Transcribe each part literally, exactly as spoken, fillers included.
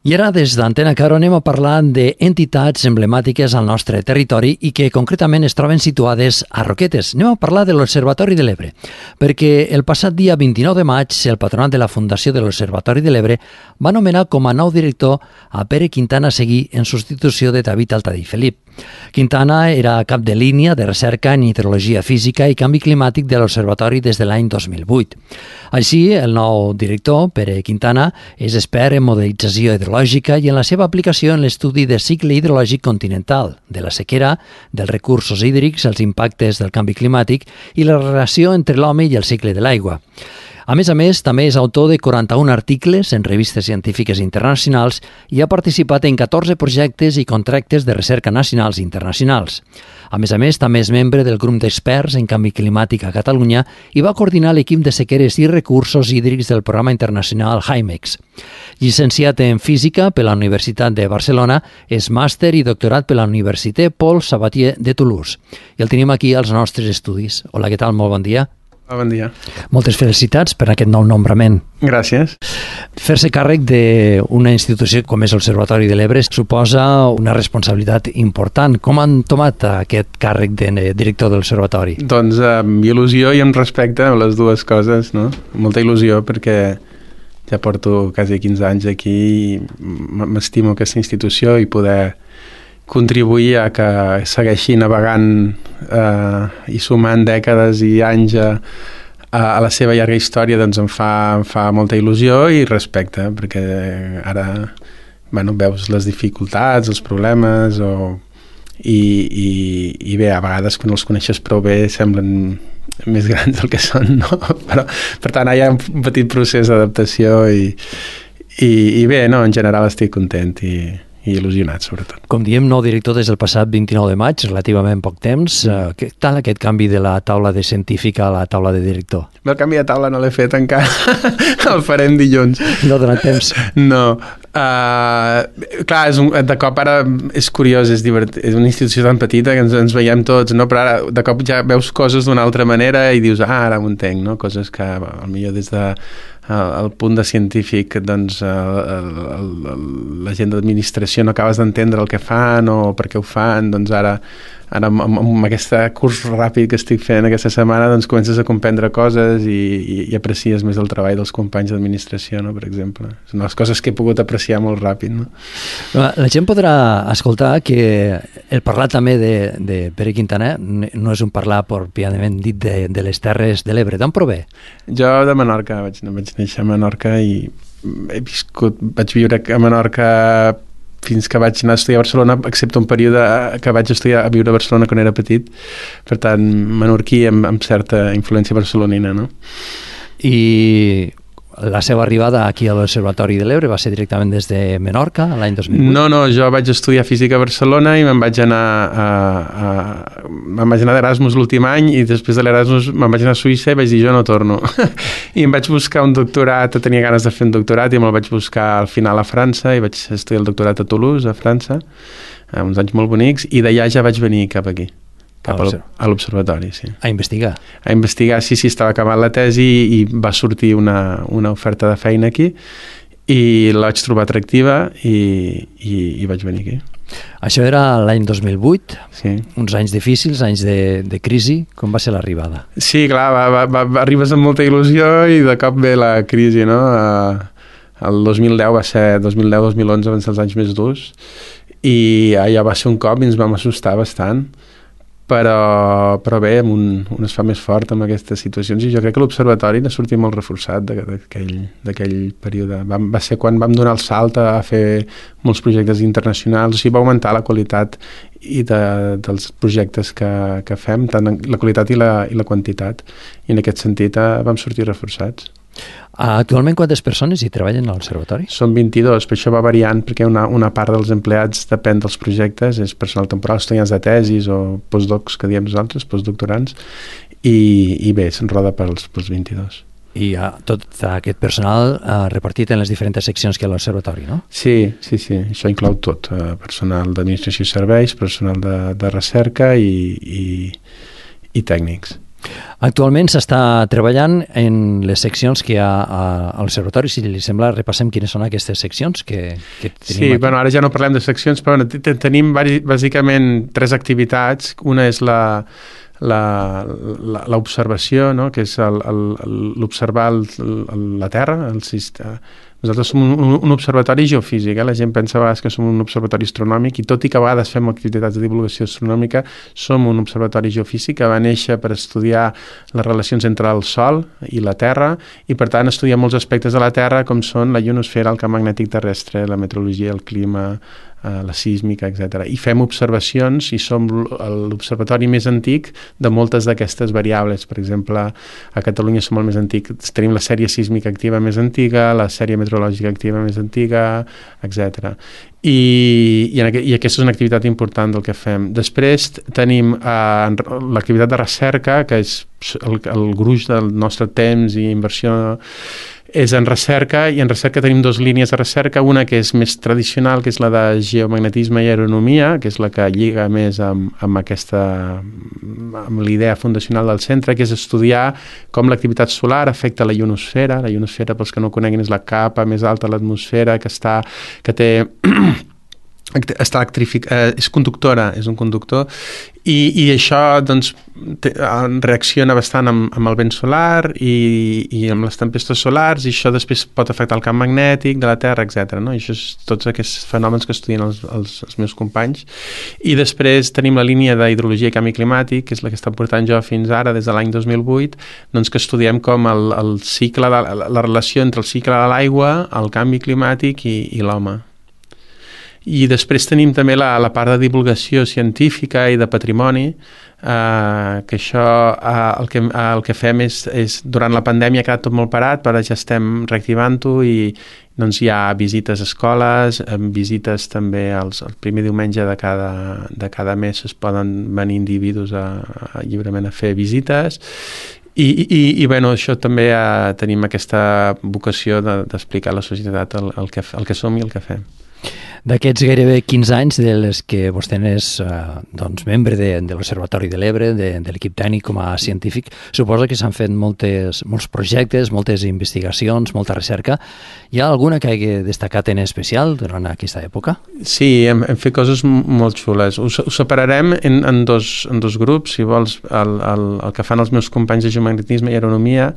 I ara, des d'Antena Caro, anem a parlar d'entitats emblemàtiques al nostre territori i que concretament es troben situades a Roquetes. Anem a parlar de l'Observatori de l'Ebre, perquè el passat dia vint-i-nou de maig el patronat de la Fundació de l'Observatori de l'Ebre va nomenar com a nou director a Pere Quintana Seguí en substitució de David Altadí Felip. Quintana era cap de línia de recerca en hidrologia física i canvi climàtic de l'Observatori des de l'any dos mil vuit. Així, el nou director, Pere Quintana, és expert en modelització hidrològica i en la seva aplicació en l'estudi de cicle hidrològic continental, de la sequera, dels recursos hídrics, els impactes del canvi climàtic i la relació entre l'home i el cicle de l'aigua. A més a més, també és autor de quaranta-un articles en revistes científiques internacionals i ha participat en catorze projectes i contractes de recerca nacionals i internacionals. A més a més, també és membre del grup d'experts en canvi climàtic a Catalunya i va coordinar l'equip de sequeres i recursos hídrics del programa internacional HIMEX. Llicenciat en Física per la Universitat de Barcelona, és màster i doctorat per la Universitat Paul Sabatier de Toulouse. I el tenim aquí als nostres estudis. Hola, què tal? Molt bon dia. Bon dia. Moltes felicitats per aquest nou nombrament. Gràcies. Fer-se càrrec d'una institució com és l'Observatori de l'Ebre suposa una responsabilitat important. Com han tomat aquest càrrec de director de l'Observatori? Doncs amb il·lusió i amb respecte a les dues coses, no? Molta il·lusió perquè ja porto quasi quinze anys aquí i m'estimo aquesta institució i poder contribuir a que segueixi navegant eh, i sumant dècades i anys a, a la seva llarga història, doncs em fa, em fa molta il·lusió i respecte, perquè ara bueno, veus les dificultats, els problemes, o, i, i, i bé, a vegades quan els coneixes prou bé semblen més grans del que són, no? Però, per tant, hi ha un petit procés d'adaptació i, i, i bé, no, en general estic content i i il·lusionat, sobretot. Com diem, nou director des del passat vint-i-nou de maig, relativament poc temps. Uh, què tal aquest canvi de la taula de científica a la taula de director? El canvi de taula no l'he fet encara. El farem dilluns. No ha donat temps? No. Uh, clar, és un, de cop ara és curiós, és divertit. És una institució tan petita que ens, ens veiem tots, no? Però ara de cop ja veus coses d'una altra manera i dius, ah, ara ho entenc, no? Coses que potser des de el punt de científic, doncs el, el, el, la gent d'administració no acabes d'entendre el que fan o per què ho fan, doncs ara, ara amb, amb aquest curs ràpid que estic fent aquesta setmana, doncs comences a comprendre coses i, i, i aprecies més el treball dels companys d'administració, no? Per exemple. Són les coses que he pogut apreciar molt ràpid, no? La gent podrà escoltar que el parlar també de, de Pere Quintana no és un parlar pròpiament dit de, de les Terres de l'Ebre. D'on prové? Jo de Menorca, vaig, vaig néixer a Menorca i he viscut, vaig viure a Menorca fins que vaig anar a estudiar a Barcelona, excepte un període que vaig estudiar a viure a Barcelona quan era petit, per tant, menorquí amb, amb certa influència barcelonina, no? I la seva arribada aquí a l'Observatori de l'Ebre va ser directament des de Menorca, l'any dos mil vuit? No, no, jo vaig estudiar física a Barcelona i me'n vaig anar a, a, me'n vaig anar d'Erasmus l'últim any i després de l'Erasmus me'n vaig anar a Suïssa i vaig dir jo no torno. I em vaig buscar un doctorat, tenia ganes de fer un doctorat i me'l vaig buscar al final a França i vaig estudiar el doctorat a Toulouse, a França, uns anys molt bonics, i d'allà ja vaig venir cap aquí. Cap a l'observatori, sí. A investigar? A investigar, sí, sí, estava acabant la tesi i va sortir una, una oferta de feina aquí i la vaig trobar atractiva i, i, i vaig venir aquí. Això era l'any dos mil vuit, sí. Uns anys difícils, anys de, de crisi. Com va ser l'arribada? Sí, clar, va, va, va, arribes amb molta il·lusió i de cop ve la crisi, no? El dos mil deu va ser, dos mil deu dos mil onze van ser els anys més durs i allà va ser un cop i ens vam assustar bastant. Però, però bé, un, un es fa més fort amb aquestes situacions i jo crec que l'Observatori n'ha sortit molt reforçat d'aquell període. Va, va ser quan vam donar el salt a fer molts projectes internacionals, o sigui, va augmentar la qualitat i de, dels projectes que, que fem, tant la qualitat i la, i la quantitat, i en aquest sentit eh, vam sortir reforçats. Actualment quantes persones hi treballen a l'Observatori? Són vint-i-dos, però això va variant perquè una, una part dels empleats depèn dels projectes, és personal temporal, estudiants de tesis o postdocs, que diem nosaltres, postdoctorants, i, i bé, se'n roda pels, pels vint-i-dos. I uh, tot aquest personal uh, repartit en les diferents seccions que hi ha a l'Observatori, no? Sí, sí, sí, això inclou tot, uh, personal d'administració i serveis, personal de, de recerca i, i, i tècnics. Actualment s'està treballant en les seccions que hi ha a l'observatori. Si li sembla, repassem quines són aquestes seccions que, que tenim sí, aquí. Bueno, ara ja no parlem de seccions, però bueno, tenim bàsicament tres activitats. Una és la l'observació, no? Que és l'observar la Terra, el sistema. Nosaltres som un, un observatori geofísic, eh? La gent pensa a vegades que som un observatori astronòmic i tot i que a vegades fem activitats de divulgació astronòmica, som un observatori geofísic que va néixer per estudiar les relacions entre el Sol i la Terra i per tant estudiar molts aspectes de la Terra com són la ionosfera, el camp magnètic terrestre, la meteorologia, el clima, la sísmica, etcètera. I fem observacions i som l'observatori més antic de moltes d'aquestes variables. Per exemple, a Catalunya som el més antic, tenim la sèrie sísmica activa més antiga, la sèrie meteorològica activa més antiga, etcètera. I, i, en, i aquesta és una activitat important del que fem. Després tenim eh, l'activitat de recerca, que és el, el gruix del nostre temps i inversió és en recerca, i en recerca tenim dues línies de recerca, una que és més tradicional, que és la de geomagnetisme i aeronomia, que és la que lliga més amb, amb aquesta amb l'idea fundacional del centre, que és estudiar com l'activitat solar afecta la ionosfera. La ionosfera, pels que no coneguin, és la capa més alta de l'atmosfera que està, que té està electrific, eh, és conductora, és un conductor, i, i això doncs, te, reacciona bastant amb, amb el vent solar i, i amb les tempestes solars, i això després pot afectar el camp magnètic de la Terra, etcètera. No? I això és tots aquests fenòmens que estudien els, els, els meus companys. I després tenim la línia d'hidrologia i canvi climàtic, que és la que està portant jo fins ara, des de l'any dos mil vuit, doncs que estudiem com el, el cicle de, la, la relació entre el cicle de l'aigua, el canvi climàtic i, i l'home. I després tenim també la, la part de divulgació científica i de patrimoni, eh, que això eh, el, que, eh, el que fem és, és durant la pandèmia ha quedat tot molt parat, però ja estem reactivant-ho i doncs hi ha visites a escoles, visites també els, el primer diumenge de cada, de cada mes es poden venir individus a, a, lliurement a fer visites. I, i, i bueno, això també eh, tenim aquesta vocació de, d'explicar a la societat el, el, que, el que som i el que fem. D'aquests gairebé quinze anys de les que vostè és eh, doncs, membre de, de l'Observatori de l'Ebre, de, de l'equip tècnic com a científic, suposa que s'han fet moltes, molts projectes, moltes investigacions, molta recerca. Hi ha alguna que hagi destacat en especial durant aquesta època? Sí, hem, hem fet coses molt xules. Ho, ho separarem en, en, dos, en dos grups, si vols, el, el, el que fan els meus companys de geomagnetisme i aeronomia,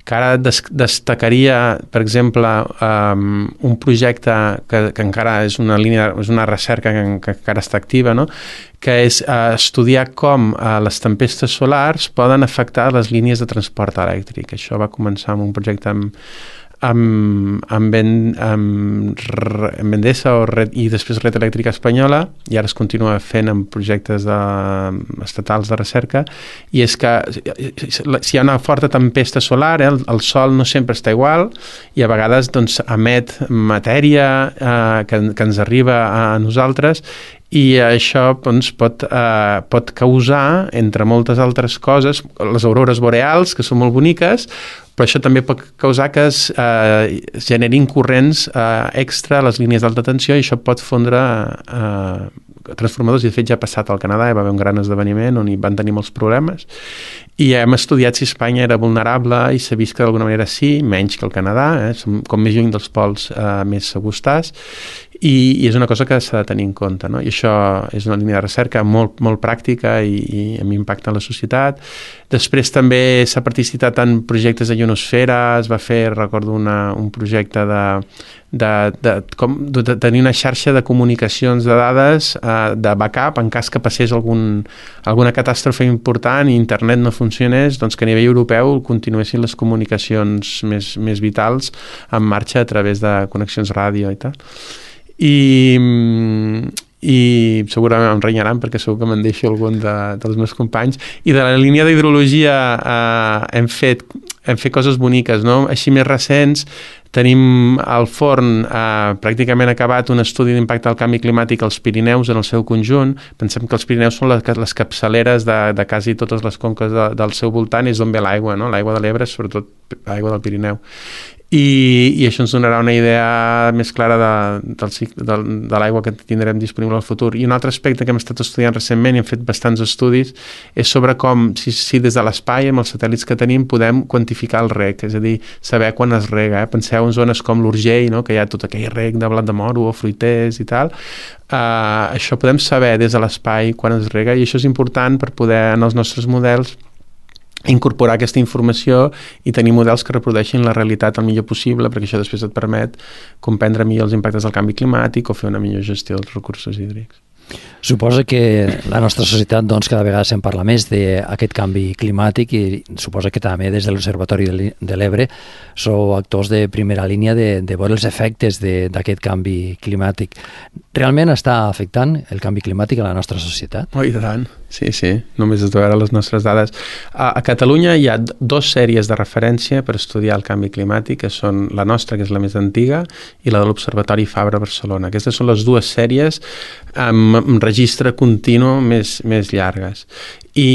que ara des, destacaria, per exemple, um, un projecte que, que encara és una línia, és una recerca que, que encara està activa, no? Que és uh, estudiar com uh, les tempestes solars poden afectar les línies de transport elèctric. Això va començar amb un projecte amb amb, amb, ben, amb, amb Endesa o Red, i després Red Elèctrica Espanyola, i ara es continua fent amb projectes de, estatals de recerca, i és que si hi ha una forta tempesta solar, eh, el, el sol no sempre està igual i a vegades doncs, emet matèria eh, que, que ens arriba a nosaltres, i això doncs, pot, eh, pot causar, entre moltes altres coses, les aurores boreals, que són molt boniques, però això també pot causar que es eh, generin corrents eh, extra a les línies d'alta tensió, i això pot fondre eh, transformadors, i de fet ja ha passat al Canadà, hi va haver un gran esdeveniment on hi van tenir molts problemes, i hem estudiat si Espanya era vulnerable i s'ha vist que d'alguna manera sí, menys que el Canadà, eh, som com més lluny dels pols eh, més segurs estàs, i, i és una cosa que s'ha de tenir en compte, no? I això és una línia de recerca molt, molt pràctica i, i amb impacte en la societat. Després també s'ha participat en projectes de ionosfera, es va fer, recordo, una, un projecte de, de, de, com, de tenir una xarxa de comunicacions de dades eh, de backup en cas que passés algun, alguna catàstrofe important i internet no funcionés, doncs que a nivell europeu continuessin les comunicacions més, més vitals en marxa a través de connexions ràdio i tal. I, i segurament em renyaran perquè segur que me'n deixo algun de, dels meus companys, i de la línia d'hidrologia eh, hem, fet, hem fet coses boniques, no? Així més recents tenim al forn eh, pràcticament acabat un estudi d'impacte del canvi climàtic als Pirineus en el seu conjunt. Pensem que els Pirineus són les, les capçaleres de, de quasi totes les conques de, del seu voltant, és on ve l'aigua, no? L'aigua de l'Ebre, sobretot l'aigua del Pirineu. i, i això ens donarà una idea més clara de, del cicle, de, de l'aigua que tindrem disponible al futur. I un altre aspecte que hem estat estudiant recentment i hem fet bastants estudis és sobre com, si, si des de l'espai, amb els satèl·lits que tenim, podem quantificar el reg, és a dir, saber quan es rega. Eh? Penseu en zones com l'Urgell, no? Que hi ha tot aquell reg de blat de moro o fruiters i tal. Uh, això podem saber des de l'espai quan es rega, i això és important per poder, en els nostres models, incorporar aquesta informació i tenir models que reprodueixin la realitat el millor possible, perquè això després et permet comprendre millor els impactes del canvi climàtic o fer una millor gestió dels recursos hídrics. Suposa que la nostra societat doncs, cada vegada se'n parla més d'aquest canvi climàtic i suposa que també des de l'Observatori de l'Ebre sou actors de primera línia de, de veure els efectes d'aquest canvi climàtic. Realment està afectant el canvi climàtic a la nostra societat? Oh, i tant. Sí, sí, només has de veure les nostres dades. A, a Catalunya hi ha dos sèries de referència per estudiar el canvi climàtic, que són la nostra, que és la més antiga, i la de l'Observatori Fabra Barcelona. Aquestes són les dues sèries amb, amb registre continu més, més llargues. I,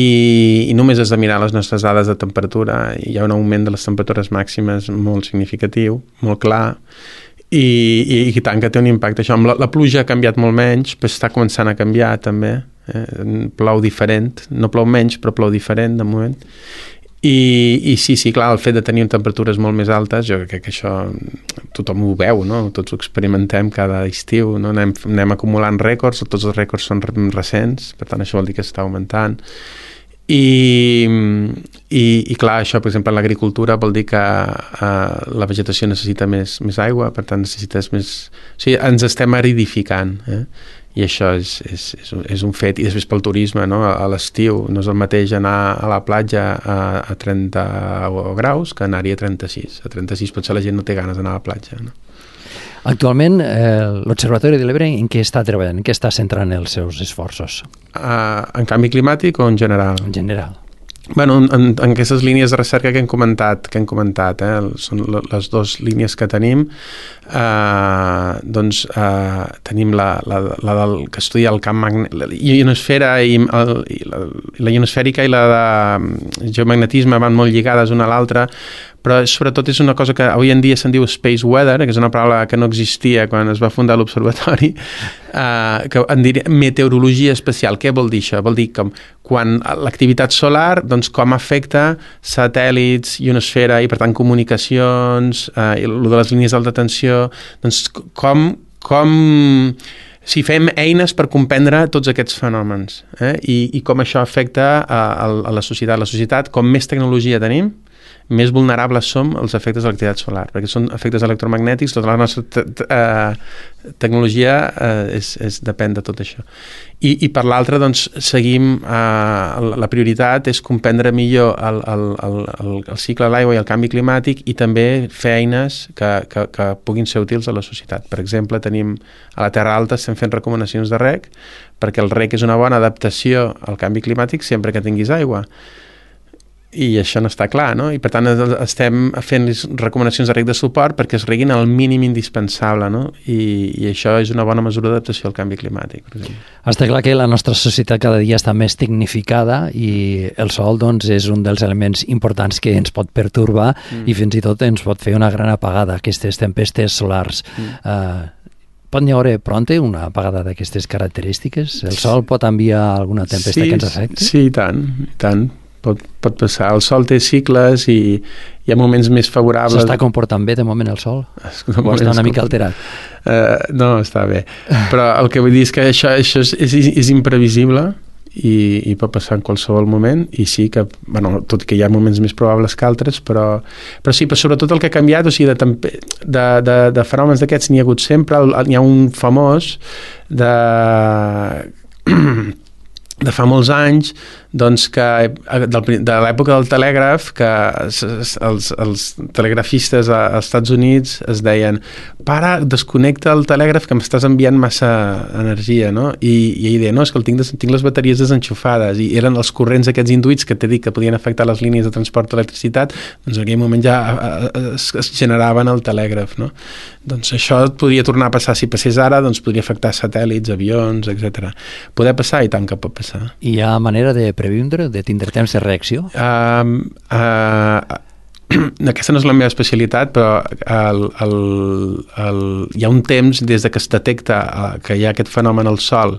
i només has de mirar les nostres dades de temperatura. Hi ha un augment de les temperatures màximes molt significatiu, molt clar, i, i, i tant que té un impacte. Això, amb la, la pluja ha canviat molt menys, però està començant a canviar també. Eh? Plou diferent, no plou menys, però plou diferent de moment. I, i sí, sí, clar, el fet de tenir temperatures molt més altes, jo crec que això tothom ho veu, no? Tots ho experimentem cada estiu, no? Anem, anem acumulant rècords, tots els rècords són recents, per tant això vol dir que està augmentant. I, i, i clar, això, per exemple, en l'agricultura vol dir que uh, la vegetació necessita més, més aigua, per tant necessites més... O sigui, ens estem aridificant, eh? I això és, és, és un fet. I després pel turisme, no? A l'estiu no és el mateix anar a la platja a, a trenta graus que anar-hi a trenta-sis. A trenta-sis potser la gent no té ganes d'anar a la platja, no? Actualment, eh, l'Observatori de l'Ebre en què està treballant? En què està centrant els seus esforços? Uh, en canvi climàtic o en general? En general. Bueno, en, en, en aquestes línies de recerca que hem comentat, que hem comentat, eh, són les dues línies que tenim, eh, doncs eh, tenim la, la, la del que estudia el camp magnètic, la ionosfera i, el, i la, la ionosfèrica i la de geomagnetisme van molt lligades una a l'altra, però sobretot és una cosa que avui en dia se'n diu space weather, que és una paraula que no existia quan es va fundar l'observatori, eh, que en diria meteorologia espacial. Què vol dir això? Vol dir com quan l'activitat solar, doncs com afecta satèl·lits, ionosfera i per tant comunicacions, eh, i el de les línies d'alta tensió, doncs com, com si fem eines per comprendre tots aquests fenòmens, eh? I, i com això afecta a, a la societat. La societat, com més tecnologia tenim, més vulnerables som als efectes de l'activitat solar, perquè són efectes electromagnètics, tota la nostra te te eh, tecnologia eh, és, és, depèn de tot això. I, i per l'altra, doncs, seguim, eh, la prioritat és comprendre millor el, el, el, el, el cicle de l'aigua i el canvi climàtic i també fer eines que, que, que puguin ser útils a la societat. Per exemple, tenim a la Terra Alta estem fent recomanacions de reg, perquè el reg és una bona adaptació al canvi climàtic sempre que tinguis aigua. I això no està clar, no? I per tant estem fent recomanacions de reg de suport perquè es reguin al mínim indispensable, no? I, i això és una bona mesura d'adaptació al canvi climàtic, per exemple. Està clar que la nostra societat cada dia està més tecnificada i el sol, doncs, és un dels elements importants que ens pot pertorbar mm. i fins i tot ens pot fer una gran apagada, aquestes tempestes solars. Mm. Uh, Pot n'hi haver pronte una apagada d'aquestes característiques? El sol pot enviar alguna tempesta sí, que ens afecti? Sí, i tant, i tant. Pot, pot passar. El sol té cicles i hi ha moments més favorables. S'està comportant bé de moment el sol? No o està una mica alterat? Uh, no, està bé. Però el que vull dir és que això, això és, és, és imprevisible i, i pot passar en qualsevol moment i sí que, bueno, tot i que hi ha moments més probables que altres, però, però sí, però sobretot el que ha canviat, o sigui, de, de, de, de fenòmens d'aquests n'hi ha hagut sempre. N'hi ha un famós de... de fa molts anys, doncs que de l'època del telègraf, que els, els telegrafistes als Estats Units es deien para, desconnecta el telègraf que m'estàs enviant massa energia, no? I, i ell deia, no, és que el tinc, des, tinc les bateries desenxufades, i eren els corrents aquests induïts que t'he dit que podien afectar les línies de transport d'electricitat, doncs en aquell moment ja es, es generaven el telègraf, no? Doncs això podria tornar a passar, si passés ara, doncs podria afectar satèl·lits, avions, etcètera. Poder passar, i tant que pot passar. I hi ha manera de previndre, de tindre temps de reacció? Uh, uh, aquesta no és la meva especialitat, però el, el, el, hi ha un temps des de que es detecta que hi ha aquest fenomen al Sol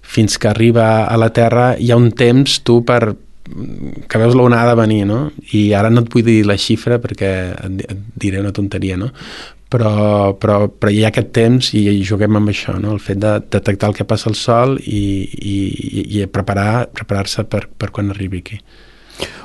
fins que arriba a la Terra, hi ha un temps tu per que veus l'onada venir, no? I ara no et vull dir la xifra perquè et diré una tonteria, no? Però, però, però hi ha aquest temps i, i juguem amb això, no? El fet de detectar el que passa al Sol i, i, i preparar, preparar-se per, per quan arribi aquí.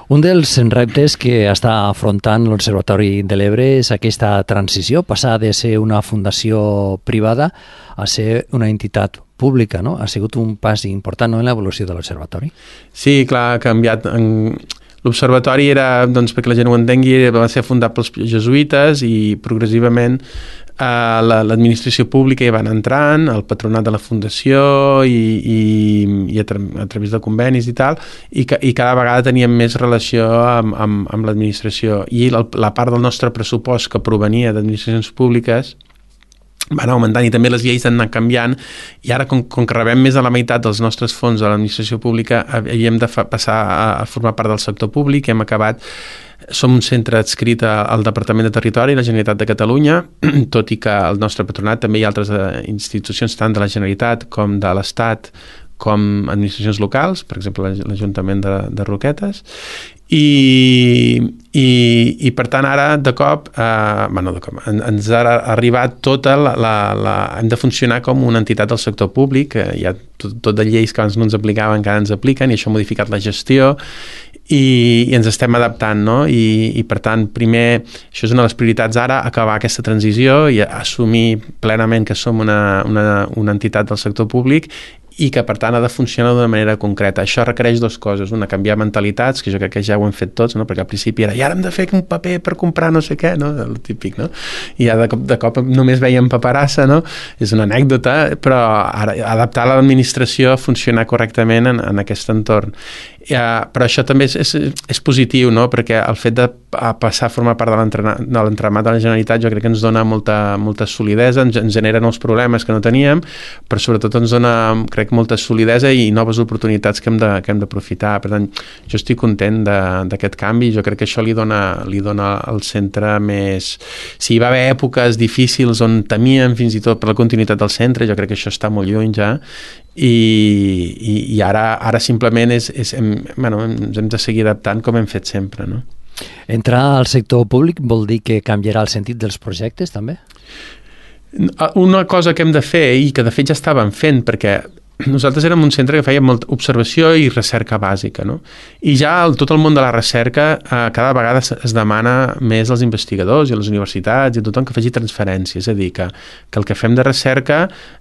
Un dels reptes que està afrontant l'Observatori de l'Ebre és aquesta transició, passar de ser una fundació privada a ser una entitat pública, no? Ha sigut un pas important, no?, en l'evolució de l'Observatori. Sí, clar, ha canviat. En... L'Observatori era, doncs, perquè la gent ho entengui, va ser fundat pels jesuïtes i progressivament eh, l'administració pública hi van entrant, el patronat de la fundació i, i, i a, tra a través de convenis i tal, i, que, i cada vegada teníem més relació amb, amb, amb l'administració. I la, la part del nostre pressupost que provenia d'administracions públiques van augmentant i també les lleis han anat canviant i ara com, com que rebem més de la meitat dels nostres fons de l'administració pública havíem de fa, passar a, a formar part del sector públic. Hem acabat, som un centre adscrit al Departament de Territori i la Generalitat de Catalunya, tot i que el nostre patronat també hi ha altres institucions tant de la Generalitat com de l'Estat com administracions locals, per exemple l'Ajuntament de, de Roquetes, i, i, i per tant ara de cop, eh, bueno, de cop en, ens ha arribat tota la, la, la... hem de funcionar com una entitat del sector públic, eh, hi ha tot, tot de lleis que abans no ens aplicaven que ara ens apliquen i això ha modificat la gestió i, i ens estem adaptant, no? I, i per tant primer, això és una de les prioritats ara, acabar aquesta transició i assumir plenament que som una, una, una entitat del sector públic i que, per tant, ha de funcionar d'una manera concreta. Això requereix dues coses. Una, canviar mentalitats, que jo crec que ja ho hem fet tots, no? Perquè al principi era, i ara hem de fer un paper per comprar no sé què, no? El típic, no? I ja de cop, de cop només veiem paperassa, no? És una anècdota, però ara, adaptar l'administració a funcionar correctament en, en aquest entorn. Ja, però això també és, és, és positiu, no? Perquè el fet de passar a formar part de l'entramat de la Generalitat jo crec que ens dona molta, molta solidesa, ens, ens genera nous problemes que no teníem, però sobretot ens dona, crec, molta solidesa i noves oportunitats que hem de, que hem d'aprofitar. Per tant, jo estic content d'aquest canvi, jo crec que això li dona, li dona al centre més... Si hi va haver èpoques difícils on temíem fins i tot per la continuïtat del centre, jo crec que això està molt lluny ja, i, i, i ara, ara simplement és, és, hem, bueno, ens hem de seguir adaptant com hem fet sempre, no? Entrar al sector públic vol dir que canviarà el sentit dels projectes, també? Una cosa que hem de fer, i que de fet ja estàvem fent, perquè nosaltres érem un centre que feia molta observació i recerca bàsica, no? I ja el, tot el món de la recerca eh, cada vegada es, es demana més als investigadors i a les universitats i a tothom que faci transferències, és a dir, que, que el que fem de recerca,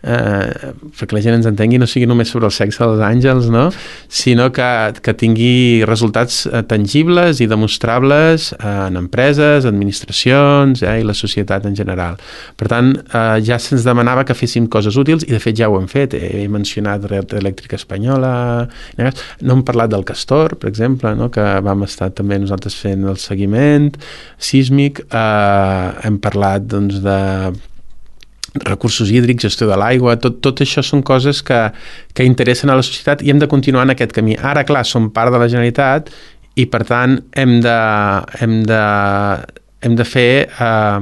eh, perquè la gent ens entengui, no sigui només sobre el sexe dels àngels, no? Sinó que, que tingui resultats eh, tangibles i demostrables eh, en empreses, administracions eh, i la societat en general. Per tant, eh, ja se'ns demanava que féssim coses útils i de fet ja ho hem fet. He mencionat Red Elèctrica Espanyola, no hem parlat del Castor, per exemple, no? Que vam estar també nosaltres fent el seguiment sísmic, eh, hem parlat doncs, de recursos hídrics, gestió de l'aigua, tot, tot això són coses que, que interessen a la societat i hem de continuar en aquest camí. Ara, clar, som part de la Generalitat i, per tant, hem de, hem de, hem de fer eh,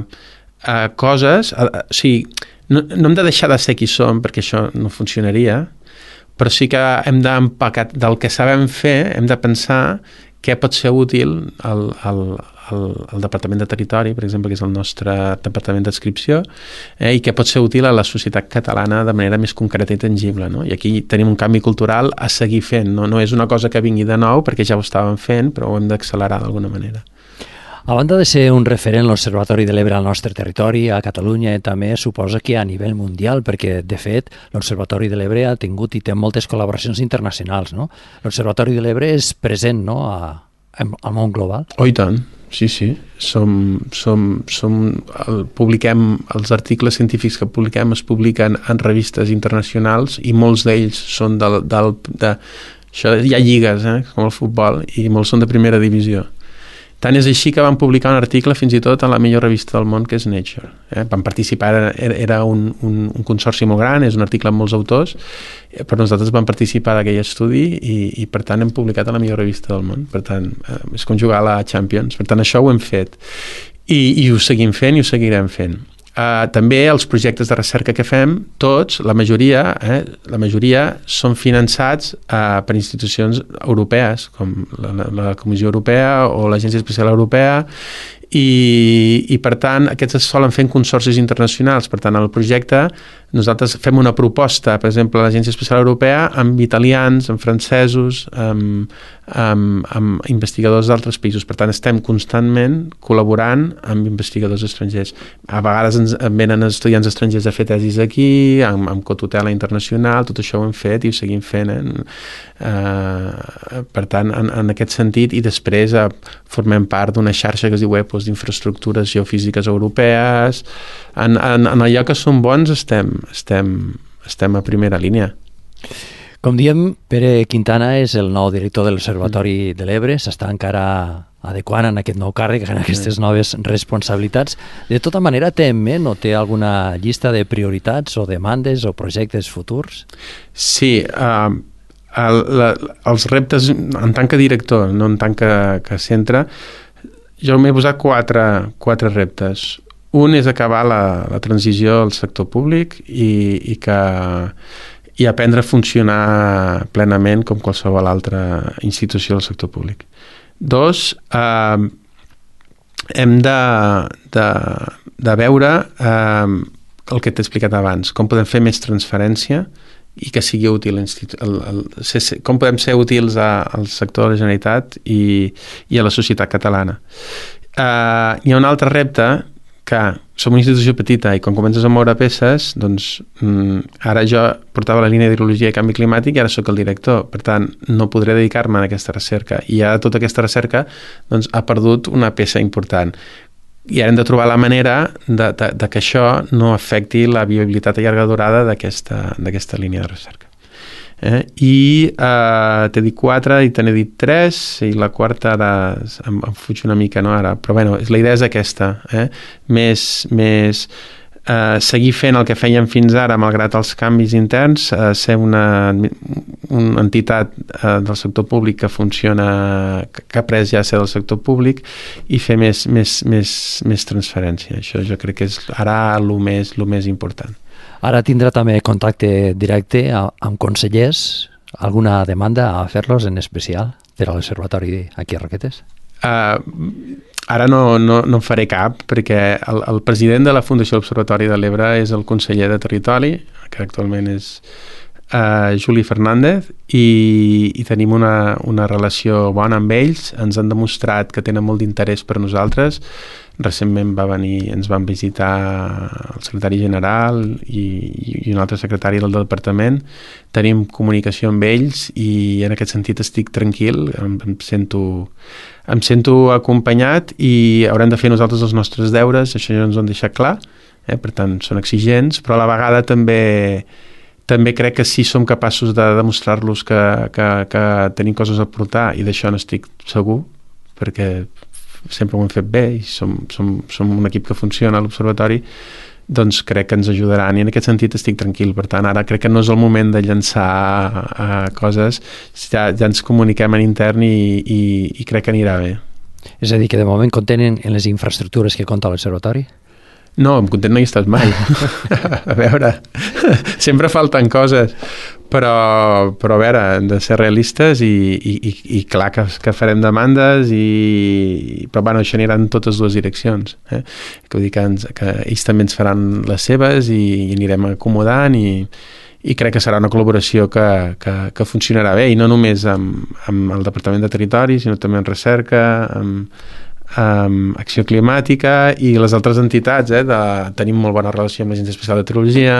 eh, coses, eh, o sigui, no, no hem de deixar de ser qui som, perquè això no funcionaria, però sí que hem d'empacar del que sabem fer, hem de pensar què pot ser útil al, al, al, al Departament de Territori, per exemple, que és el nostre departament d'adscripció, eh, i què pot ser útil a la societat catalana de manera més concreta i tangible, no? I aquí tenim un canvi cultural a seguir fent, no? No és una cosa que vingui de nou, perquè ja ho estàvem fent, però ho hem d'accelerar d'alguna manera. A banda de ser un referent l'Observatori de l'Ebre al nostre territori, a Catalunya, també suposa que a nivell mundial, perquè de fet l'Observatori de l'Ebre ha tingut i té moltes col·laboracions internacionals, no? L'Observatori de l'Ebre és present, no?, a, al món global. Oh, i tant, sí, sí. Som, som, som, el, publiquem, els articles científics que publiquem es publiquen en revistes internacionals i molts d'ells són del, del, de... Això, hi ha lligues, eh, com el futbol, i molts són de primera divisió. Tant és així que van publicar un article fins i tot a la millor revista del món, que és Nature. Eh? Van participar, era, era un, un, un consorci molt gran, és un article amb molts autors, però nosaltres vam participar d'aquell estudi i, i per tant hem publicat a la millor revista del món. Per tant, eh, és com jugar a la Champions. Per tant, això ho hem fet. I, i ho seguim fent i ho seguirem fent. Uh, també els projectes de recerca que fem, tots, la majoria, eh, la majoria són finançats uh, per institucions europees, com la, la, la Comissió Europea o l'Agència Espacial Europea, i, i per tant aquests es solen fer en consorcis internacionals. Per tant, el projecte nosaltres fem una proposta, per exemple, a l'Agència Espacial Europea amb italians, amb francesos, amb, amb, amb investigadors d'altres països. Per tant, estem constantment col·laborant amb investigadors estrangers. A vegades ens venen estudiants estrangers a fer tesis aquí, amb, amb cotutela internacional, tot això ho hem fet i ho seguim fent. Eh? Uh, per tant, en, en aquest sentit, i després uh, formem part d'una xarxa que es diu EPOS, d'infraestructures geofísiques europees. En, en, en allò que som bons estem, estem, estem a primera línia. Com diem, Pere Quintana és el nou director de l'Observatori de l'Ebre, s'està encara adequant en aquest nou càrrec, en aquestes noves responsabilitats. De tota manera, té en ment o té alguna llista de prioritats o demandes o projectes futurs? Sí, uh, el, la, els reptes en tant que director, no en tant que, que centre, jo m'he posat quatre, quatre reptes. Un és acabar la, la transició al sector públic i, i, que, i aprendre a funcionar plenament com qualsevol altra institució del sector públic. Dos, eh, hem de, de, de veure eh, el que t'he explicat abans, com podem fer més transferència i que sigui útil, el, el, ser, com podem ser útils a, al sector de la Generalitat i, i a la societat catalana. Uh, hi ha un altre repte que som una institució petita i quan comences a moure peces, doncs mm, ara jo portava la línia d'hidrologia i canvi climàtic i ara sóc el director, per tant no podré dedicar-me a aquesta recerca i ara tota aquesta recerca doncs, ha perdut una peça important. I ara hem de trobar la manera de, de, de que això no afecti la viabilitat a llarga durada d'aquesta d'aquesta línia de recerca. Eh? I eh, t'he dit quatre i te n'he dit tres i la quarta ara em, em fuig una mica, no, ara, però bueno, la idea és aquesta, eh? més, més eh, seguir fent el que fèiem fins ara malgrat els canvis interns, eh, ser una, una entitat eh, del sector públic que funciona, que, que ha pres ja ser del sector públic i fer més, més, més, més transferència. Això jo crec que és ara el més, el més important. Ara tindrà també contacte directe amb consellers, alguna demanda a fer-los en especial per a l'Observatori aquí a Roquetes? Uh, ara no, no, no en faré cap perquè el, el president de la Fundació de l'Observatori de l'Ebre és el conseller de Territori, que actualment és uh, Juli Fernández, i, i tenim una, una relació bona amb ells. Ens han demostrat que tenen molt d'interès per nosaltres. Recentment va venir, ens van visitar el secretari general i, i un altre secretari del departament. Tenim comunicació amb ells i en aquest sentit estic tranquil, em, em sento em sento acompanyat i haurem de fer nosaltres els nostres deures, això ja ens ho han deixat clar, eh? Per tant són exigents, però a la vegada també també crec que sí som capaços de demostrar-los que, que, que tenim coses a aportar i d'això n'estic segur, perquè sempre ho hem fet bé i som, som, som un equip que funciona a l'Observatori, doncs crec que ens ajudaran i en aquest sentit estic tranquil. Per tant, ara crec que no és el moment de llançar uh, coses, ja, ja ens comuniquem en intern i, i, i crec que anirà bé. És a dir, que de moment contenen en les infraestructures que compta l'Observatori? No, em content no hi he estat mai. A veure, sempre falten coses, però, però a veure, hem de ser realistes i, i, i clar que, que farem demandes, i, però bueno, això anirà en totes dues direccions. Eh? Que vull dir que, ens, que ells també ens faran les seves i, i anirem acomodant i, i crec que serà una col·laboració que, que, que funcionarà bé, i no només amb, amb el Departament de Territori, sinó també en recerca, amb Um, acció climàtica i les altres entitats, eh, de, tenim molt bona relació amb l'Agència Espacial de Meteorologia,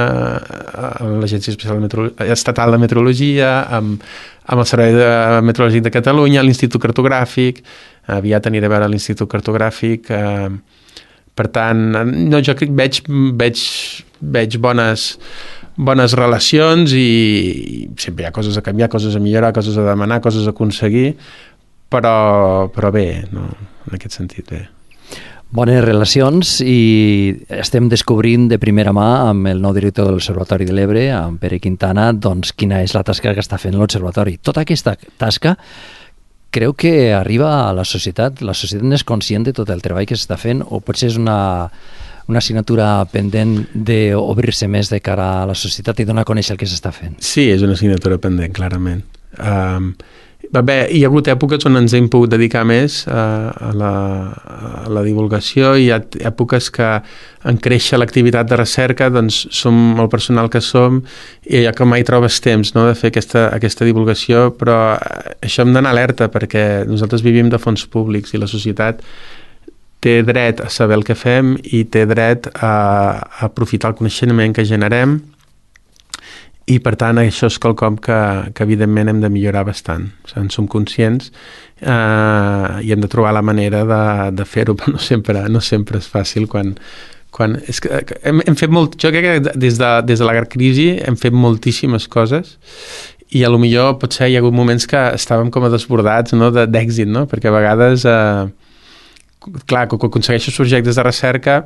amb l'Agència Espacial de Meteorologia, Estatal de Meteorologia, amb, amb el Servei de Meteorològic de Catalunya, l'Institut Cartogràfic, aviat aniré a veure l'Institut Cartogràfic, eh, per tant, no, jo veig, veig, veig bones, bones relacions i, i sempre hi ha coses a canviar, coses a millorar, coses a demanar, coses a aconseguir, però, però bé, no? En aquest sentit bé. Bones relacions, i estem descobrint de primera mà amb el nou director de l'Observatori de l'Ebre, amb Pere Quintana, doncs quina és la tasca que està fent l'Observatori. Tota aquesta tasca creu que arriba a la societat? La societat n'és conscient de tot el treball que s'està fent, o potser és una, una assignatura pendent d'obrir-se més de cara a la societat i donar a conèixer el que s'està fent? Sí, és una assignatura pendent, clarament. Um, Bé, hi ha hagut èpoques on ens hem pogut dedicar més a, a, la, a la divulgació, i hi ha èpoques que en créixer l'activitat de recerca doncs som el personal que som i ja que mai trobes temps, no?, de fer aquesta, aquesta divulgació, però això hem d'anar alerta perquè nosaltres vivim de fons públics i la societat té dret a saber el que fem i té dret a, a aprofitar el coneixement que generem. I, per tant, això és quelcom que, que evidentment hem de millorar bastant. O sigui, en som conscients eh, i hem de trobar la manera de, de fer-ho, però no sempre, no sempre és fàcil. Quan, quan, és que hem, hem fet molt, jo crec que des de, des de la crisi hem fet moltíssimes coses i a lo millor potser hi ha hagut moments que estàvem com a desbordats, no?, d'èxit, no? Perquè a vegades, eh, clar, quan aconsegueixes projectes de recerca,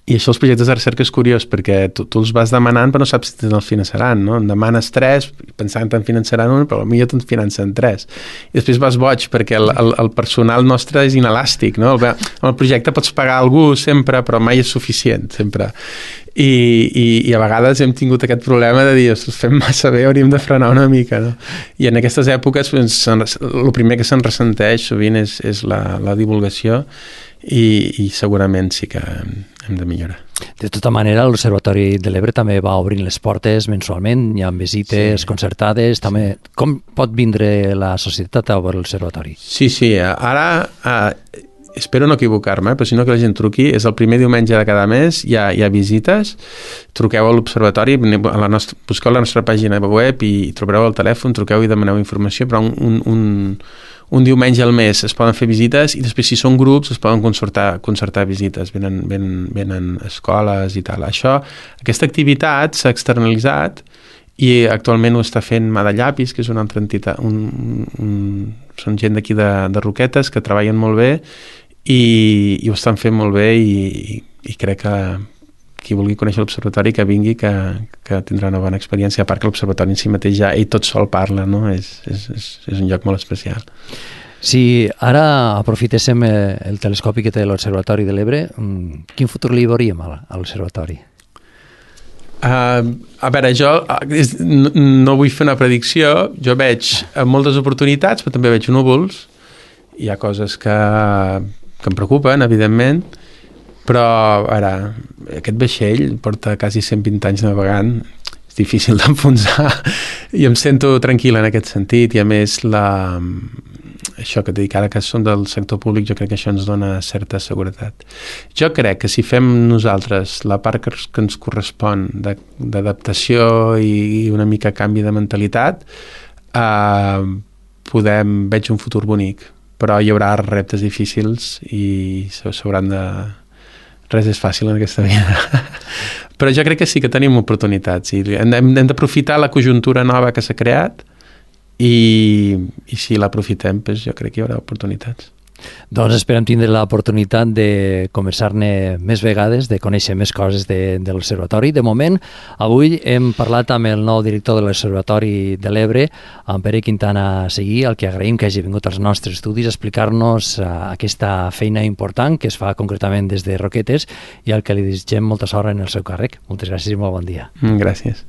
i això els projectes de recerca és curiós perquè tu, tu els vas demanant però no saps si te'n els finançaran, no? En demanes tres pensant que te'n finançaran un, però potser te'n financen tres. I després vas boig perquè el, el, el personal nostre és inelàstic, no? El, el projecte pots pagar a algú sempre, però mai és suficient, sempre. I, i, i a vegades hem tingut aquest problema de dir, ostres, fem massa bé, hauríem de frenar una mica, no? I en aquestes èpoques doncs, el primer que se'n ressenteix sovint és, és la, la divulgació i, i segurament sí que hem de millorar. De tota manera, l'Observatori de l'Ebre també va obrint les portes mensualment, hi ha visites sí. concertades, sí. també. Com pot vindre la societat a veure l'Observatori? Sí, sí, ara eh, espero no equivocar-me, però si no que la gent truqui, és el primer diumenge de cada mes, hi ha, hi ha visites, truqueu a l'Observatori, a la nostra, busqueu la nostra pàgina web i trobareu el telèfon, truqueu i demaneu informació, però un, un, un un diumenge al mes es poden fer visites i després si són grups es poden concertar, concertar visites, venen, venen, venen escoles i tal. Això, aquesta activitat s'ha externalitzat i actualment ho està fent Mà de Llapis, que és una altra entitat, un, un, són gent d'aquí de, de Roquetes que treballen molt bé i, i ho estan fent molt bé i, i crec que qui vulgui conèixer l'Observatori que vingui, que, que tindrà una bona experiència, a part que l'Observatori en si mateix ja ell tot sol parla, no? És, és, és, és un lloc molt especial. Si ara aprofitéssim el telescopi que té l'Observatori de l'Ebre, quin futur li veuríem a l'Observatori? Uh, a veure, jo no, no vull fer una predicció, jo veig moltes oportunitats, però també veig núvols, hi ha coses que, que em preocupen, evidentment, però ara, aquest vaixell porta quasi cent vint anys navegant, és difícil d'enfonsar i em sento tranquil en aquest sentit i a més la, això que et dic, ara que som del sector públic jo crec que això ens dona certa seguretat. Jo crec que si fem nosaltres la part que, que ens correspon d'adaptació i una mica canvi de mentalitat, eh, podem, veig un futur bonic, però hi haurà reptes difícils i s'hauran de... Res és fàcil en aquesta vida. Però jo crec que sí que tenim oportunitats i hem, hem d'aprofitar la conjuntura nova que s'ha creat i, i si l'aprofitem, doncs jo crec que hi haurà oportunitats. Doncs esperem tindre l'oportunitat de conversar-ne més vegades, de conèixer més coses de, de l'Observatori. De moment, avui hem parlat amb el nou director de l'Observatori de l'Ebre, amb Pere Quintana Seguí, al que agraïm que hagi vingut als nostres estudis a explicar-nos uh, aquesta feina important que es fa concretament des de Roquetes i al que li desitgem molta sort en el seu càrrec. Moltes gràcies i molt bon dia. Gràcies.